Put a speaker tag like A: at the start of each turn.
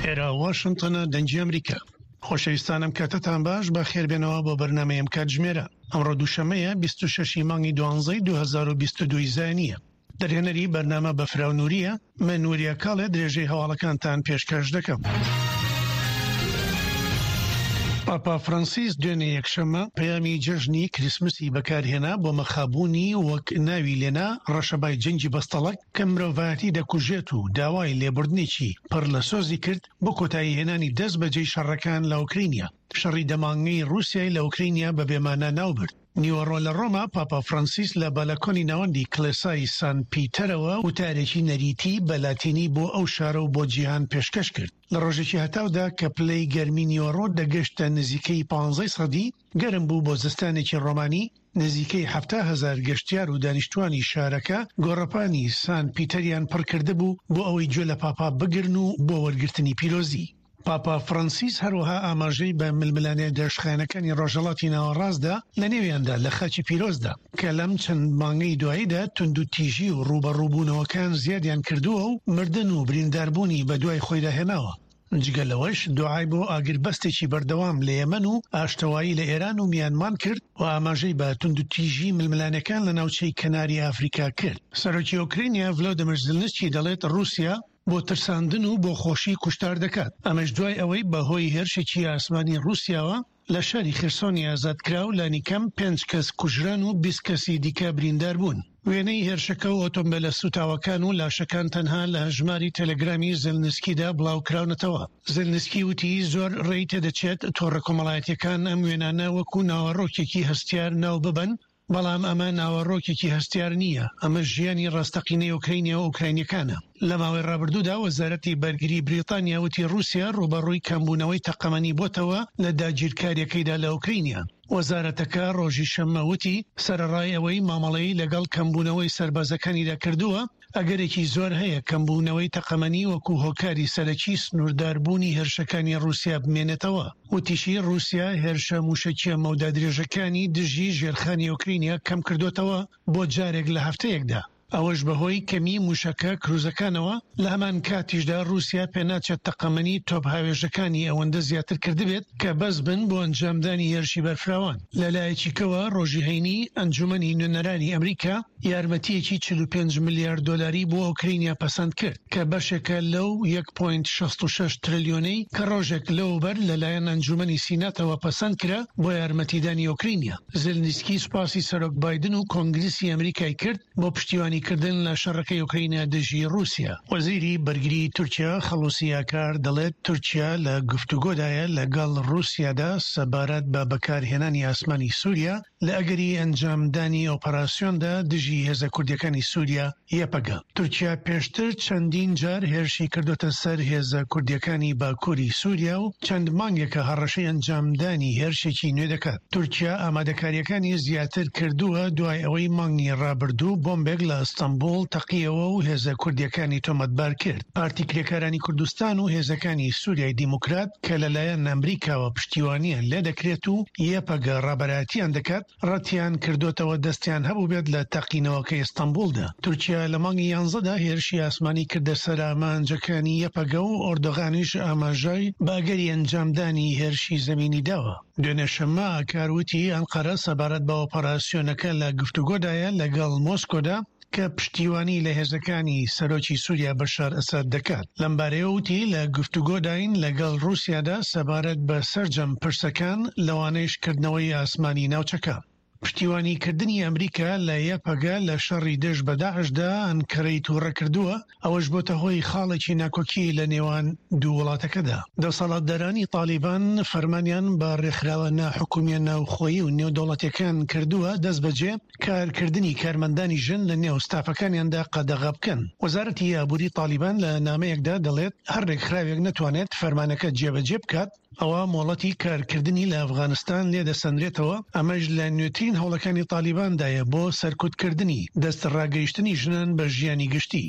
A: ئێرە واشنتۆنە دەنگی ئەمریکا. خۆشەویستان ئەم کاتەتان باش بەخێربێنەوە بۆ بەرنامەی ئەم کاتژمێرە. ئەمڕۆ دووشەممەیە 26 ی مانگی دوانزەی 2022 زایینییە. دەرهێنەری بەرنامە بەفراو نوریە، من وریا کاڵێ درێژەی هەواڵەکانتان پێشکەش دەکەم. پاپا فرانسیس دوێنێ یەکشەممە پەیامی جەژنی کریسمسی بەکارهێنا بۆ مەخابوونی وەک ناوی لێنا ڕەشەبای جەنگی بەستەڵەک کە مرۆڤایەتی دەکوژێت و داوای لێبوردنێکی پڕ لە سۆزی کرد بۆ کۆتایی هێنانی دەست بەجێی شەڕەکان لە ئۆکرینیا. شەڕی دە مانگەی ڕووسیای لە ئۆکرینیا بە بێمانا ناوبرد. نیوەڕۆ لە ڕۆما پاپا فرانسیس لە بەلەکۆنی ناوەندی کڵێسای سان پیتەرەوە وتارێکی نەریتی بە لاتینی بۆ ئەو شارە و بۆ جیهان پێشکەش کرد. لە ڕۆژێکی هەتاودا کە پلەی گەرمی نیوەڕۆ دەگەشتە نزیکەی پانزەی سەدی، گەرم بوو بۆ زستانێکی ڕۆمانی، نزیکەی 70,000 گەشتیار و دانیشتوانی شارەکە گۆڕەپانی سان پیتەریان پڕکردبوو بۆ ئەوەی گوێ لە پاپا بگرن و بۆ وەرگرتنی پیرۆزی. پاپا فرانسیس هەروەها ئاماژەی بە ململانێ درێژخایەنەکانی ڕۆژهەڵاتی ناوەڕاستدا لە نێویاندا لە خاکی پیرۆزدا کە لەم چەند مانگەی دواییدا توندوتیژی و ڕووبەڕووبوونەوەکان زیادیان کردووە و مردن و برینداربوونی بەدوای خۆیدا هێناوە. جگە لەوەش دوعای بۆ ئاگربەستێکی بەردەوام لە یەمەن و ئاشتەوایی لە ئێران و میانمان کرد و ئاماژەی بە توندوتیژی ململانێکان لە ناوچەی کەناری ئافریکا کرد. سەرۆکی ئۆکرینیا ڤلۆدیمیر زیلنسکی دەڵێت ڕووسیا بۆ ترساندن و بۆ خۆشی کوشتار دەکات، ئەمەش دوای ئەوەی بەهۆی هێرشێکی ئاسمانی ڕووسیاوە لە شاری خێرسۆنی ئازادکراو لانیکەم پێنج کەس کوژران و 20 کەسی دیکە بریندار بوون. وێنەی هێرشەکە و ئۆتۆمبێلە سووتاوەکان و لاشەکان تەنها لە هەژماری تێلێگرامی زێلنسکیدا بڵاوکراونەتەوە. زێلنسکی وتی زۆر ڕێی تێدەچێت تۆڕە کۆمەڵایەتییەکان ئەم وێنانە وەکو ناوەڕۆکێکی هەستیار ناوببەن، بەڵام ئەمە ناوەڕۆکێکی هەستیار نییە، ئەمە ژیانی ڕاستەقینەی ئۆکرەینیا و ئۆکراینیەکانە. لە ماوەی ڕابردوودا وەزارەتی بەرگری بریتانیا وتی ڕووسیا ڕووبەڕووی کەمبوونەوەی تەقەمەنی بۆتەوە لە داگیرکارییەکەیدا لە ئۆکرەینیا. وەزارەتەکە ڕۆژی شەممە وتی سەرەڕای ئەوەی مامەڵەی لەگەڵ کەمبوونەوەی سەربازەکانیدا کردووە، ئەگەرێکی زۆر هەیە کەمبوونەوەی تەقەمەنی وەکو هۆکاری سەرەکی سنوورداربوونی هێرشەکانی ڕووسیا بمێنێتەوە. وتیشی، ڕووسیا هێرشە مووشەکییە مەودا درێژەکانی دژی ژێرخانی ئۆکرینیا کەمکردۆتەوە بۆ جارێک لە هەفتەیەکدا، ئەوەش بەهۆی کەمیی مووشەکە کروزەکانەوە، لە هەمان کاتیشدا ڕووسیا پێناچێت تەقەمەنی تۆپهاوێژەکانی ئەوەندە زیاتر کردبێت کە بەس بن بۆ ئەنجامدانی هێرشی بەرفراوان. لەلایەکی کەوە ڕۆژی هەینی ئەنجومەنی نوێنەرانی ئەمریکا یارمەتییەکی 45 ملیار دۆلاری بۆ ئۆکرینیا پەسەند کرد کە بەشێکە لەو یەک پۆینت 66 ترلیۆنەی کە ڕۆژێک لەوەوبەر لەلایەن ئەنجومەنی سیناتەوە پەسەند کرا بۆ یارمەتیدانی ئۆکرینیا. زێلنیسکی سوپاسی سەرۆک بایدن و کۆنگرسی ئەمریکای کرد بۆ پشتیوانیکردن لە شەڕەکەی ئۆکرەینیا دژی ڕووسیا. وەزیری بەرگری تورکیا خەڵوسی ئاکار دەڵێت تورکیا لە گفتوگۆدایە لەگەڵ ڕووسیادا سەبارەت بە بەکارهێنانی ئاسمانی سوریا لە ئەگەری ئەنجامدانی ئۆپەراسیۆندا دژی هێزە کوردیەکانی سوریا، یەپەگە. تورکیا پێشتر چەندین جار هێرشی کردۆتە سەر هێزە کوردیەکانی باکوری سوریا و چەند مانگێکە هەڕەشەی ئەنجامدانی هێرشێکی نوێ دەکات. تورکیا ئامادەکارییەکانی زیاتر کردووە دوای ئەوەی مانگی ڕابردوو بۆمبێک لە ئەستەنبوڵ تەقیەوە و هێزە کوردیەکانی تۆمەتبار کرد. پارتی کرێکارانی کوردستان و هێزەکانی سوریای دیموکرات کە لەلایەن ئەمریکاوە پشتیوانیان لێدەکرێت و یەپەگە ڕابەرایەتیان دەکات، ڕەتیان کردۆتەوە دەستیان هەبووبێت لە تەقینەوەکەی ئیستەنبوڵدا. تورکیا لە مانگی یانزەدا هێرشی ئاسمانی کردە سەر ئامانجەکانی یەپەگە و ئۆردۆغانیش ئاماژەی بە ئەگەری ئەنجامدانی هێرشی زەمینی داوە. دوێنێ شەممە ئاکار وتی ئەنقەرە سەبارەت بە ئۆپەراسیۆنەکە لە گفتوگۆدایە لەگەڵ مۆسکۆدا کە پشتیوانی لە هێزەکانی سەرۆکی سوریا بەشار ئەسەد دەکات. لەمبارەیەوە وتی، لە گفتوگۆداین لەگەڵ ڕووسیادا سەبارەت بە سەرجەم پرسەکان، لەوانەیش کردنەوەی ئاسمانی ناوچەکە. پشتیوانیکردنی ئەمریکا لە یەپەگە لە شەڕی دژ بە داعشدا ئەنکەرەی تووڕە کردووە، ئەوەش بۆتە هۆی خاڵێکی ناکۆکی لە نێوان دوو وڵاتەکەدا. دەسەڵاتدارانی تاڵیبان فەرمانیان بە ڕێکخراوە ناحکومییە ناوخۆیی و نێودەوڵەتییەکان کردووە دەستبەجێ کارکردنی کارمەندانی ژن لە نێو ستافەکانیاندا قەدەغە بکەن. وەزارەتی ئابووری تاڵیبان لە نامەیەکدا دەڵێت، هەر رێکخراوێک نەتوانێت فەرمانەکە جێبەجێ بکات، ئەوا مۆڵەتی کارکردنی لە ئەفغانستان لێدەسەنرێتەوە، ئەمەش لە نوێترین هەوڵەکانی تاڵیباندایە بۆ سەرکوتکردنی دەستڕاگەیشتنی ژنان بە ژیانی گشتی.